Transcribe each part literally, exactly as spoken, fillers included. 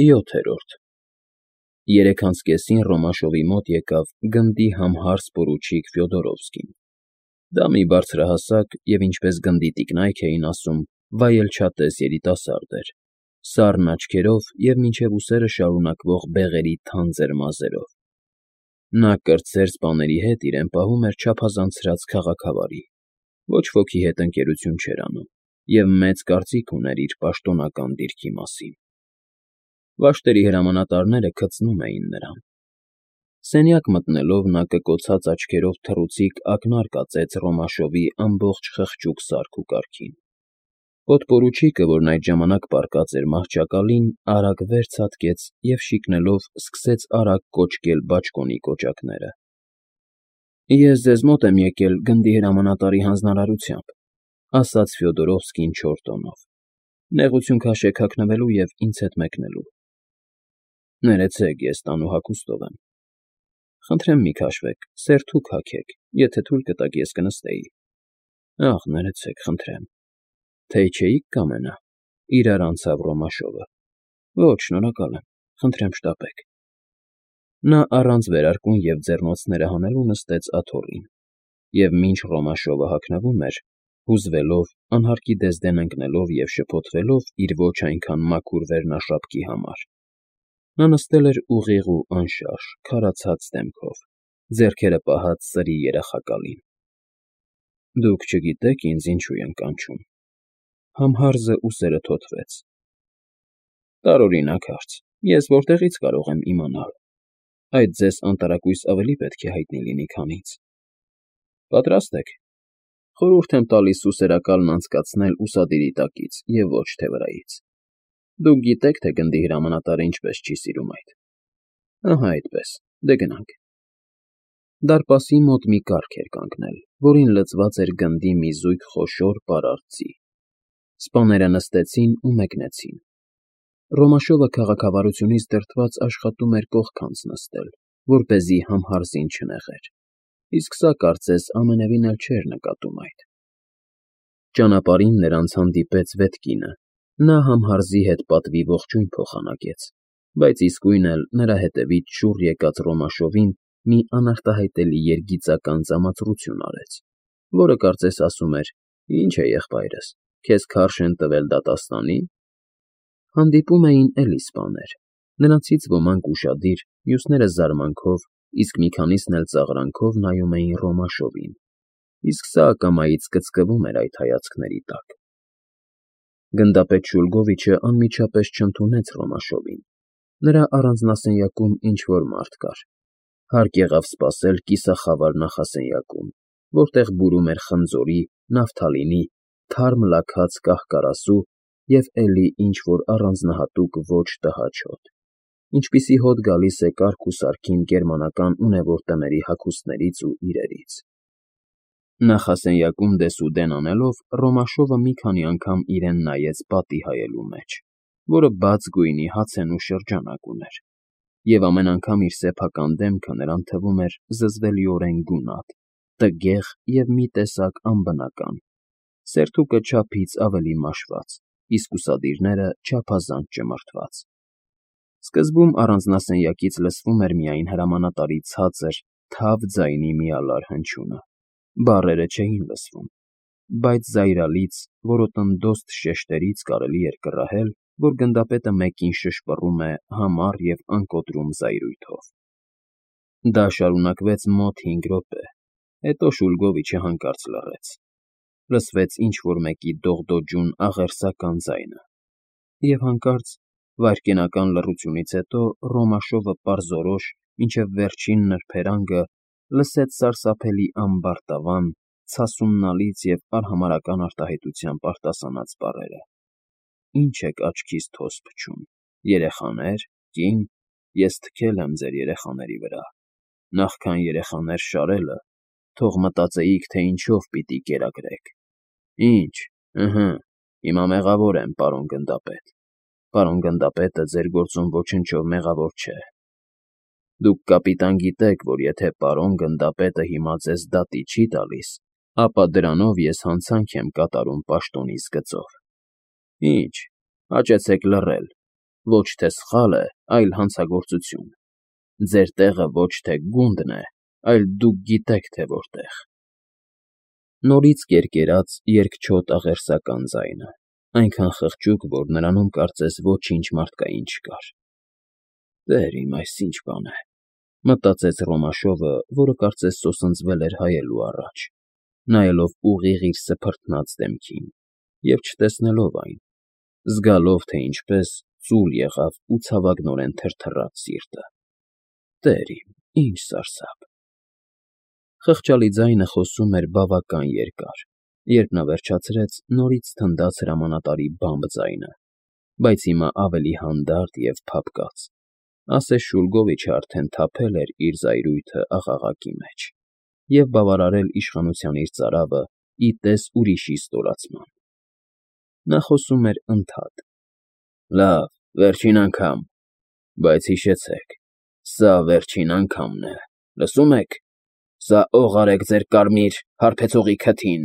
ՅՈԹԵՐՈՐԴ Երեկ անց կեսին Ռոմաշովի մոտ եկավ գնդի համհարս պորուչիկ Ֆյոդորովսկին. դա մի բարձրահասակ և, ինչպես գնդի տիկնայք էին ասում, վայելչատես երիտասարդ էր, սառն աչքերով և մինչև ուսերը շարունակվող բեղերի թանձր մազերով. նա կրտսեր սպաների հետ իրեն պահում էր չափազանցրած քաղաքավարի, ոչ ոքի հետ ընկերություն չէր անում և մեծ կարծիք ուներ իր պաշտոնական դիրքի մասին. Վաշտերի հրամանատարները քծնում էին նրան. սենյակ մտնելով նա կկոցած աչքերով թռուցիկ ակնարկ ածեց Ռոմաշովի ամբողջ խղճուկ սարք ու կարգին. Պոդպորուչիկը, որն այդ ժամանակ պառկած էր մահճակալին, արագ վեր ցատկեց և շիկնելով սկսեց արագ կոճկել բաճկոնի կոճակները. Ես ձեզ մոտ եմ եկել գնդի հրամանատարի հանձնարարությամբ, ասաց Ֆյոդորովսկին չոր տոնով, նեղություն քաշեք հագնվելու և ինձ հետ մեկնելու։ Ներեցեք, ես տանուհ հագուստով եմ։ Խնդրեմ մի քաշվեք, սերթուք հագեք, եթե թույլ կտաք, ես կնստեի։ Ախ, ներեցեք, խնդրեմ, թեյ չէի՞ք կամենա, իրար անցավ Ռոմաշովը։ Ոչ, շնորհակալ եմ, խնդրեմ շտապեք։ Նա առանց վերարկուն և ձեռնոցները հանելու նստեց աթոռին, և մինչ Ռոմաշովը հագնվում էր, հուզվելով, անհարկի դեզդեն ընկնելով և շփոթվելով իր ոչ այնքան մաքուր վերնաշապկի համար, նա նստել էր ուղիղ ու անշարժ, քարացած դեմքով, ձեռքերը պահած սրի երախակալին։ Դուք չգիտեք ինձ ինչու են կանչում… Համհարզը ուսերը թոթվեց. Տարօրինակ հարց, ես որտեղի՞ց կարող եմ իմանալ… Այդ ձեզ անտարակույս ավելի պետք է հայտնի լինի, քան ինձ… Պատրաստ եք… Խորհուրդ եմ տալիս սուսերակալն անցկացնել ուսադիրի տակից և ոչ թե վրայից… Դուք գիտեք, թե գնդի հրամանատարը ինչպես չի սիրում այդ… Ահա այդպես, դե գնանք… Դարպասի մոտ մի կառք էր կանգնել, որին լցված էր գնդի մի զույգ խոշոր պարարտ ձի… Սպաները նստեցին ու մեկնեցին… Ռոմաշովը քաղաքավարությունից դրդված աշխատում էր կողքանց նստել, որպեսզի համհարզին չնեղեր, իսկ սա, կարծես, ամենևին էլ չէր նկատում այդ… Ճանապարհին նրանց հանդիպեց վետկինը, նա համհարզի հետ պատվի ողջույն փոխանակեց, բայց իսկույն էլ նրա հետևից շուռ եկած Ռոմաշովին մի անարտահայտելի երգիծական ծամածրություն արեց, որը, կարծես, ասում էր. Ի՞նչ է, եղբայրս, քեզ քարշ են տվել դատաստանի՞… Հանդիպում էին էլի սպաներ, նրանցից ոմանք ուշադիր, մյուսները զարմանքով, իսկ մի քանիսն էլ ծաղրանքով նայում էին Ռոմաշովին, իսկ սա ակամայից կծկվում էր այդ հայացքների տակ… Գնդապետ Շուլգովիչը անմիջապես չընդունեց Ռոմաշովին, նրա առանձնասենյակում ինչ֊որ մարդ կար, հարկ եղավ սպասել կիսախավար նախասենյակում, որտեղ բուրում էր խնձորի, նավթալինի, թարմ լաքած կահ֊կարասու և էլի ինչ֊որ առանձնահատուկ ոչ տհաճ հոտ, ինչպիսի հոտ գալիս է կարգ ու սարքին գերմանական ունևոր տների հագուստներից ու իրերից… Նախասենյակում դեսուդեն անելով, Ռոմաշովը մի քանի անգամ իրեն նայեց պատի հայելու մեջ, որը բաց գույնի հացենու շրջանակ ուներ, և ամեն անգամ իր սեփական դեմքը նրան թվում էր զզվելիորեն գունատ, տգեղ և մի տեսակ անբնական, սերթուկը չափից ավելի մաշված, իսկ ուսադիրները չափազանց ճմրթված… Սկզբում առանձնասենյակից լսվում էր միայն հրամանատարի ցածր, թավ ձայնի միալար հնչյունը, բառերը չէին լսվում, բայց զայրալից, որոտնդոստ շեշտերից կարելի էր կռահել, որ գնդապետը մեկին շշպռում է համառ և անկոտրում զայրույթով… Դա շարունակվեց մոտ հինգ րոպե, հետո Շուլգովիչը հանկարծ լռեց, լսվեց ինչ֊որ մեկի դողդոջուն աղերսական ձայնը, և հանկարծ, վայրկենական լռությունից հետո, Ռոմաշովը պարզորոշ, մինչև վերջին նրբերանգը, լսեց սարսափելի ամբարտավան, ցասումնալից և արհամարհական արտահայտությամբ արտասանած բառերը. Ի՞նչ եք աչքիս թոս փչում, երեխաներ, կին… Ես թքել եմ ձեր երեխաների վրա, նախքան երեխաներ շարելը, թող մտածեիք, թե ինչով պիտի կերակրեք… Ի՞նչ… Ըհը, հիմա մեղավոր եմ, պարոն գնդապետ… Պարոն գնդապետը ձեր գործում ոչնչով մեղավոր չէ… Դուք, կապիտան, գիտեք, որ եթե պարոն գնդապետը հիմա ձեզ դատի չի տալիս, ապա դրանով ես հանցանք եմ կատարում պաշտոնիս գծով… Ի՞նչ… Հաճեցեք լռել… Ոչ թե սխալ է, այլ հանցագործություն։ Ձեր տեղը ոչ թե գունդն է, այլ դուք գիտեք, թե որտեղ… Նորից կերկերաց երկչոտ աղերսական ձայնը, այնքան խղճուկ, որ նրանում կարծես ոչինչ մարդկային չկար։ «Տեր իմ, այս ի՞նչ բան է,֊ մտածեց Ռոմաշովը, որը կարծես սոսնձվել էր հայելու առաջ, նայելով ուղիղ իր սփռթնած դեմքին և չտեսնելով այն, զգալով, թե ինչպես ծուլ եղավ ու ցավագնորեն թրթռաց սիրտը։ Տեր իմ, ի՜նչ սարսափ…» Խղճալի ձայնը խոսում էր բավական երկար, երբ նա վերջացրեց, նորից թնդաց հրամանատարի բամբ ձայնը, բայց հիմա ավելի հանդարտ և փափկած, ասես Շուլգովիչը արդեն թափել էր իր զայրույթը աղաղակի մեջ և բավարարել իշխանության իր ծարավը ի տես ուրիշի ստորացման։ Նա խոսում էր ընդհատ. «Լավ, վերջին անգամ, բայց հիշեցեք, սա վերջին անգամն է, լսո՞ւմ եք, սա օղ արեք ձեր կարմիր հարբեցողի քթին…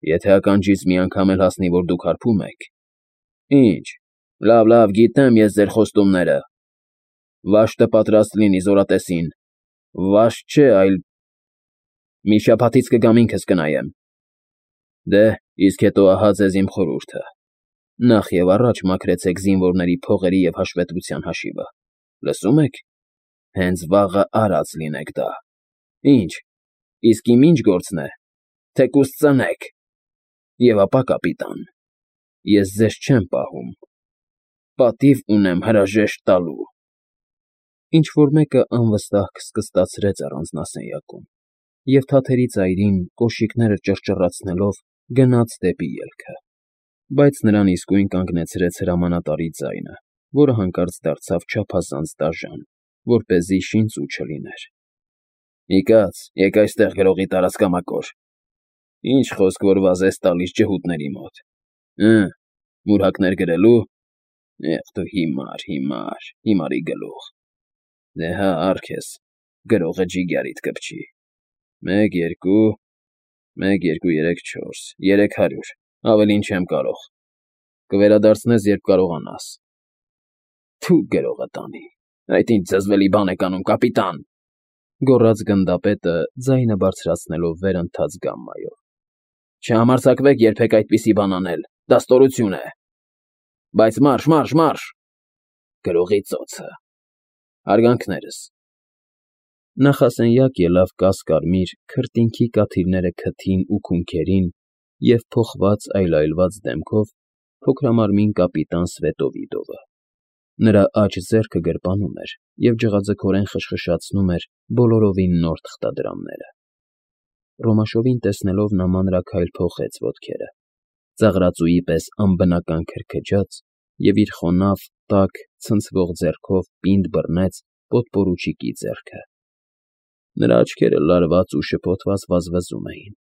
Եթե ականջիս մի անգամ էլ հասնի, որ դուք հարբում եք… Ինչ, լավ, լավ, գիտեմ ես ձեր խոստումները… Վաշտը պատրաստ լինի զորատեսին… Վաշտ չէ, այլ… Մի շաբաթից կգամ ինքս կնայեմ… Դե, իսկ հետո ահա ձեզ իմ խորհուրդը. նախ և առաջ մաքրեցեք զինվորների փողերի և հաշվետվության հաշիվը… Լսո՞ւմ եք… հենց վաղը արած լինեք դա… Ինչ, իսկ իմ ի՞նչ գործն է… թեկուզ ծնեք… Եվ ապա, կապիտան, ես ձեզ չեմ պահում… պատիվ ունեմ հրաժեշտ տալու… Ինչ֊որ մեկը անվստահ քստքստացրեց առանձնասենյակում, և թաթերի ծայրին, կոշիկները ճռճռացնելով, գնաց դեպի ելքը, բայց նրան իսկույն կանգնեցրեց հրամանատարի ձայնը, որը հանկարծ դարձավ չափազանց դաժան, որպեսզի շինծու չլիներ. «Մի կաց, եկ այստեղ գրողի տարածքամակոր… Ինչ խոսք, որ վազես տալիս ջհուդների մոտ… Հը, մուրհակներ գրելու… Եղ դու հիմար, հիմար, հիմարի գլուխ… Դե հա, առ քեզ, գրողը ջիգարիդ կպչի… Մեկ, երկու… մեկ, երկու, երեք, չորս… երեք հարյուր… ավելին չեմ կարող… Կվերադարձնես, երբ կարողանաս… Թու գրողը տանի… Այդ ինչ զզվելի բան եք անում, կապիտան,֊ գոռաց գնդապետը, ձայնը բարձրացնելով վերընթաց գամմայով։֊ Չհամարձակվեք երբեք այդպիսի բան անել, դա ստորություն է… Բայց մարշ, մարշ, մարշ… Գրողի ծոցը… Հարգանքներս…»։ Նախասենյակ ելավ կաս֊կարմիր, քրտինքի կաթիլները քթին ու քունքերին և փոխված այլայլված դեմքով փոքրամարմին կապիտան Սվետովիդովը… Նրա աջ ձեռքը գրպանում էր և ջղաձգորեն խշխշացնում էր բոլորովին նոր թղթադրամները… Ռոմաշովին տեսնելով նա մանրաքայլ փոխեց ոտքերը, ծաղրածուի պես անբնական քրքջաց և իր խոնավ, տաք, ցնցվող ձեռքով պինդ բռնեց պոդպորուչիկի ձեռքը… Նրա աչքերը լարված ու շփոթված վազվզում էին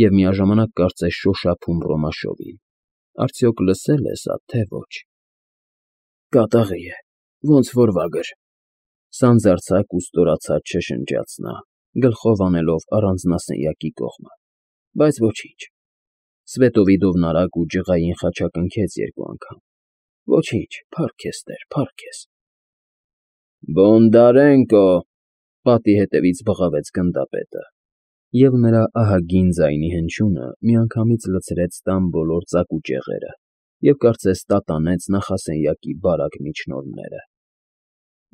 և միաժամանակ կարծես շոշափում Ռոմաշովին. արդյոք լսե՞լ է սա, թե ոչ… Կատաղի է, ոնց որ վագր… Սանձարձակ ու ստորացած շշնջաց նա, գլխով անելով առանձնասենյակի կողմը… Բայց ոչինչ… Սվետովիդովն արագ ու ջղային խաչակնքեց երկու անգամ… Ոչինչ, փառք քեզ, Տեր, փառք քեզ… Բոնդարենկո… Պատի հետևից բղավեց գնդապետը, և նրա ահագին ձայնի հնչյունը միանգամից լցրեց տան բոլոր ծակուճեղերը և կարծես տատանեց նախասենյակի բարակ միջնորմները…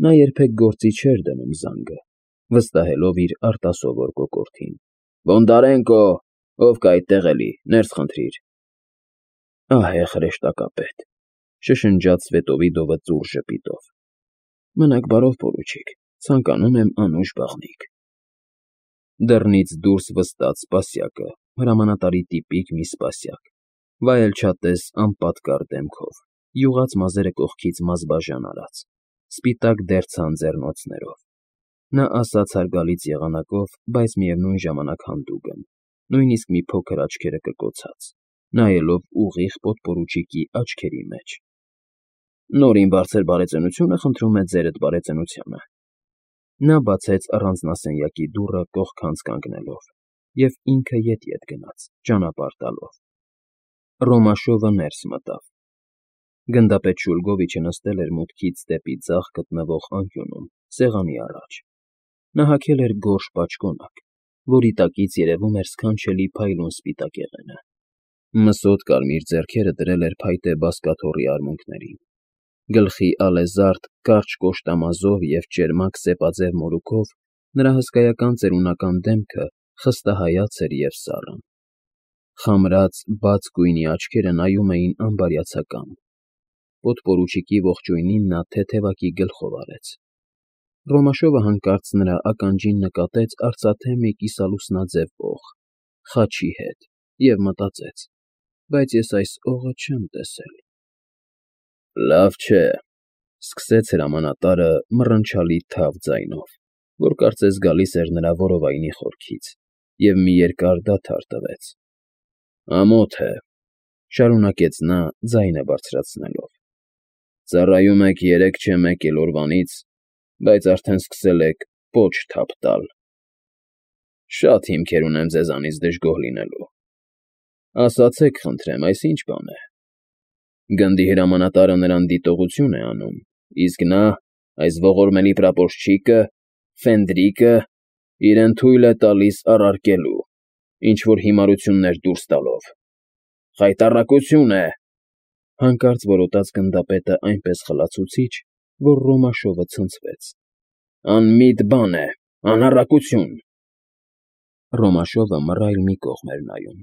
Նա երբեք գործի չէր դնում զանգը, վստահելով իր արտասովոր կոկորդին. Բոնդարենկո… Ով կա այդտեղ էլի, ներս խնդրիր… Ահեղ հրեշտակապետ…֊ շշնջաց Սվետովիդովը ծուռ ժպիտով։֊ Մնաք բարով, պորուչիկ, ցանկանում եմ անուշ բաղնիք… Դռնից դուրս վստաց սպասյակը, հրամանատարի տիպիկ մի սպասյակ, վայելչատես անպատկառ դեմքով, յուղած մազերը կողքից մազբաժան արած, սպիտակ դերձան ձեռնոցներով… Նա ասաց հարգալից եղանակով, բայց միևնույն ժամանակ հանդուգն, նույնիսկ մի փոքր աչքերը կկոցած, նայելով ուղիղ պոդպորուչիկի աչքերի մեջ։ Նորին բարձր բարեծենությունը խնդրում է ձերդ բարեծենությանը… Նա բացեց առանձնասենյակի դուռը կողքանց կանգնելով և ինքը ետ֊ետ գնաց, ճանապարհ տալով… Ռոմաշովը ներս մտավ։ Գնդապետ Շուլգովիչը նստել էր մուտքից դեպի ձախ գտնվող անկյունում, սեղանի առաջ. նա հագել էր գորշ պաճկոնակ, որի տակից երևում էր սքանչելի փայլուն սպիտակ եղենը, մսոտ կարմիր ձեռքերը դրել էր փայտե բազկաթոռի արմունկներին, գլխի ալեզարդ, կարճ կոշտամազով և ճերմակ սեպաձև մորուքով նրա հսկայական ծերունական դեմքը խստահայաց էր և սառն, խամրած, բաց գույնի աչքերը նայում էին անբարյացակամ, պոդպորուչիկի ողջույնին նա թեթևակի գլխով արեց, Ռոմաշովը հանկարծ նրա ականջին նկատեց արծաթե մի կիսալուսնաձև օղ, խաչի հետ և մտածեց. բայց ես այս օղը չեմ տեսել… Լավ չէ,֊ սկսեց հրամանատարը մռնչալի թավ ձայնով, որ կարծես գալիս էր նրա որովայնի խորքից, և մի երկար դադար տվեց,֊ ամոթ է,֊ շարունակեց նա ձայնը բարձրացնելով,֊ ծառայում եք երեք չէ մեկ էլ օրվանից, բայց արդեն սկսել եք պոչ թափ տալ… Շատ հիմքեր ունեմ ձեզանից դժգոհ լինելու… Ասացեք, խնդրեմ, այս ի՞նչ բան է… Գնդի հրամանատարը նրան դիտողություն է անում, իսկ նա, այս ողորմելի պրապորչիկը, ֆենդրիկը, իրեն թույլ է տալիս առարկելու, ինչ֊որ հիմարություններ դուրս տալով… Խայտառակություն է,֊ հանկարծ որոտաց գնդապետը այնպես խլացուցիչ, որ Ռոմաշովը ցնցվեց,֊ անմիտ բան է, անառակություն… Ռոմաշովը մռայլ մի կողմ էր նայում,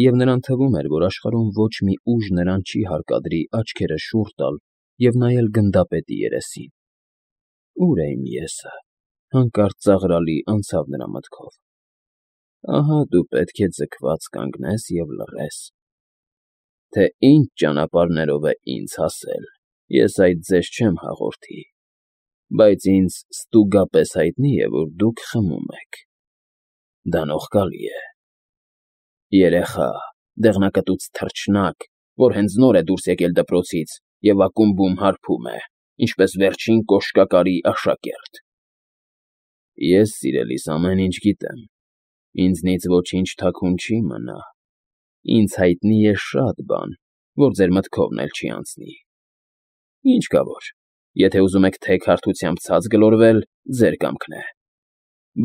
և նրան թվում էր, որ աշխարհում ոչ մի ուժ նրան չի հարկադրի աչքերը շուռ տալ և նայել գնդապետի երեսին… Ո՞ւր է իմ ես֊ը,֊ հանկարծ ծաղրալի անցավ նրա մտքով… Ահա դու պետք է ձգված կանգնես և լռես… Թե ինչ ճանապարհներով է ինձ հասել, ես այդ ձեզ չեմ հաղորդի, բայց ինձ ստուգապես հայտնի է, որ դուք խմում եք… Դա նողկալի է… Երեխա, դեղնակտուց թռչնակ, որ հենց նոր է դուրս եկել դպրոցից և ակումբում հարբում է, ինչպես վերջին կոշկակարի աշակերտ… Ես, սիրելիս, ամեն ինչ գիտեմ, ինձնից ոչինչ թաքուն չի մնա, ինձ հայտնի է շատ բան, որ ձեր մտքովն էլ չի անցնի… Ինչ կա որ, եթե ուզում եք թեք հարթությամբ ցած գլորվել, ձեր կամքն է,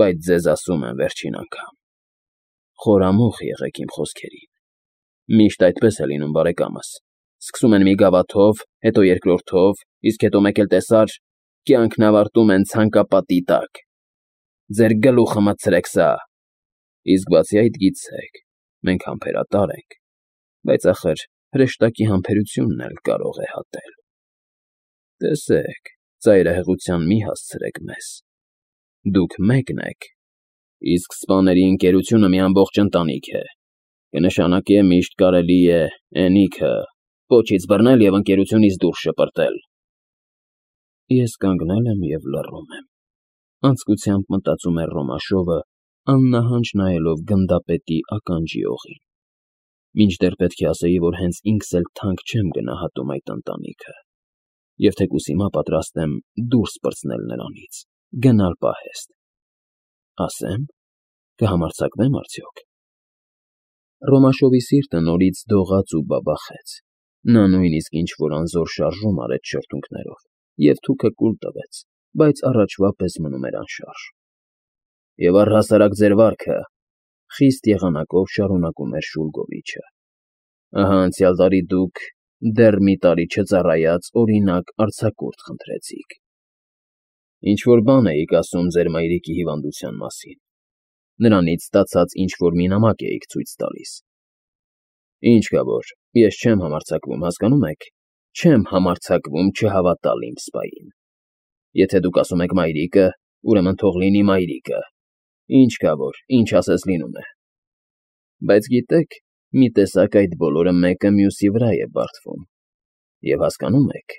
բայց ձեզ ասում եմ վերջին անգամ… Խորամուխ եղեք իմ խոսքերին… Միշտ այդպես է լինում, բարեկամս, սկսում են մի գավաթով, հետո երկրորդով, իսկ հետո մեկ էլ տեսար, կյանքն ավարտում են ցանկապատի տակ… Ձեր գլուխը մտցրեք սա… Իսկ բացի այդ, գիտեք, մենք համբերատար ենք, բայց, ախր, հրեշտակի համբերությունն էլ կարող է հատել… Տեսեք, ծայրահեղության մի հասցրեք մեզ… Դուք մեկն եք, իսկ սպաների ընկերությունը մի ամբողջ ընտանիք է, կնշանակե միշտ կարելի է էնիքը, պոչից բռնել և ընկերությունից դուրս շպրտել… Ես կանգնել եմ և լռում եմ,֊ անձկությամբ մտածում էր Ռոմաշովը, աննահանջ նայելով գնդապետի ականջի օղին,֊ մինչդեռ պետք է ասեի, որ հենց ինքս էլ թանկ չեմ գնահատում այդ ընտանիքը, և թեկուզ հիմա պատրաստ եմ դուրս պրծնել նրանից, գնալ պահեստ… Ասե՞մ, կհամարձակվե՞մ արդյոք… Ռոմաշովի սիրտը նորից դողաց ու բաբախեց, նա նույնիսկ ինչ֊որ անզոր շարժում արեց շրթունքներով և թուքը կուլ տվեց, բայց առաջվա պես մնում էր անշարժ… Եվ առհասարակ ձեր վարքը,֊ խիստ եղանակով շարունակում էր Շուլգովիչը,֊ ահա անցյալ տարի դուք, դեռ մի տարի չծառայած, օրինակ արձակուրդ խնդրեցիք… Ինչ֊որ բան էիք ասում ձեր մայրիկի հիվանդության մասին, նրանից ստացած ինչ֊որ մի նամակ էիք ցույց տալիս… Ինչ կա որ, ես չեմ համարձակվում, հասկանո՞ւմ եք, չեմ համարձակվում չհավատալ իմ սպային… Եթե դուք ասում եք մայրիկը, ուրեմն թող լինի մայրիկը… Ինչ կա որ, ինչ ասես լինում է… Բայց գիտեք, մի տեսակ այդ բոլորը մեկը մյուսի վրա է բարդվում… Եվ հասկանո՞ւմ եք…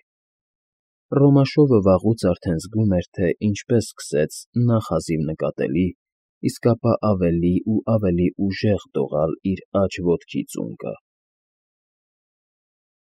Ռոմաշովը վաղուց արդեն զգում էր, թե ինչպես սկսեց նախ հազիվ նկատելի, իսկ ապա ավելի ու ավելի ուժեղ դողալ իր աջ ոտքի ծունկը,